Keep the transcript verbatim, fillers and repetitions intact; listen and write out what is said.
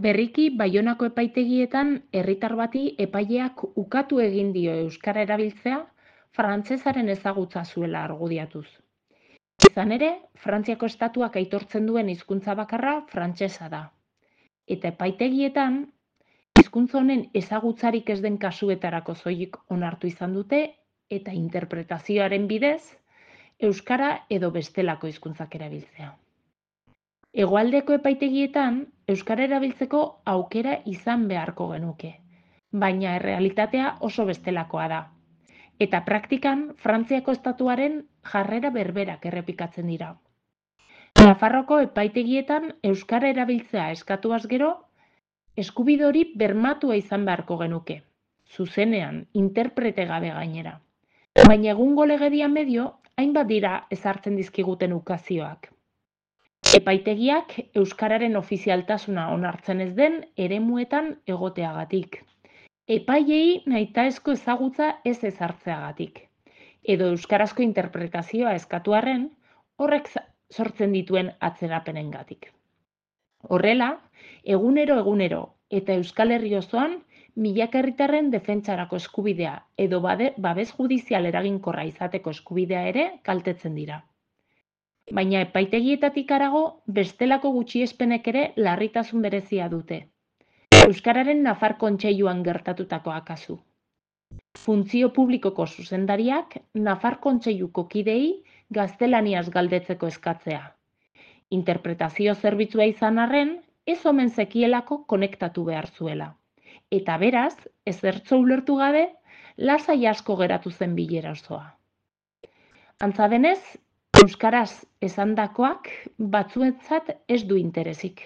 Berriki Baionako epaitegietan herritar bati epaileak ukatu egin dio euskara erabiltzea frantsesaren ezagutza zuela argudiatuz. Izan ere, Frantziako estatuak aitortzen duen hizkuntza bakarra frantsesa da. Eta epaitegietan, hizkuntza honen ezagutzarik ez den kasuetarako soilik onartu izan dute eta interpretazioaren bidez euskara edo bestelako hizkuntzak erabiltzea. Hegoaldeko epaitegietan euskara erabiltzeko aukera izan beharko genuke, baina errealitatea oso bestelakoa da. Eta praktikan Frantziako estatuaren jarrera berberak errepikatzen dira. Nafarroko epaitegietan euskara erabiltzea eskatuaz gero, eskubide hori bermatua izan beharko genuke, zuzenean, interprete gabe gainera. Baina egungo legedia medio, hainbat dira ezartzen dizkiguten ukazioak. Epaitegiak euskararen ofizialtasuna onartzen ez den eremuetan egoteagatik. Epailei nahitaezko ezagutza ez ezartzeagatik. Edo euskarazko interpretazioa eskatu arren, horrek sortzen dituen atzerapenengatik. Horrela, egunero egunero eta Euskal Herri osoan milaka herritarren defentsarako eskubidea edo babes judizial eraginkorra izateko eskubidea ere kaltetzen dira. Baina epaitegietatik harago bestelako gutxiespenek ere larritasun berezia dute. Euskararen Nafar Kontseiluan gertatutakoa kasu. Funtzio publikoko zuzendariak Nafar Kontseiluko kideei gaztelaniaz galdetzeko eskatzea. Interpretazio zerbitzua izan arren, ez omen zekielako konektatu behar zuela. Eta beraz, ezertxo ulertu gabe, lasai asko geratu zen bilera osoa. Antza denez, euskaraz esandakoak batzuentzat ez du interesik.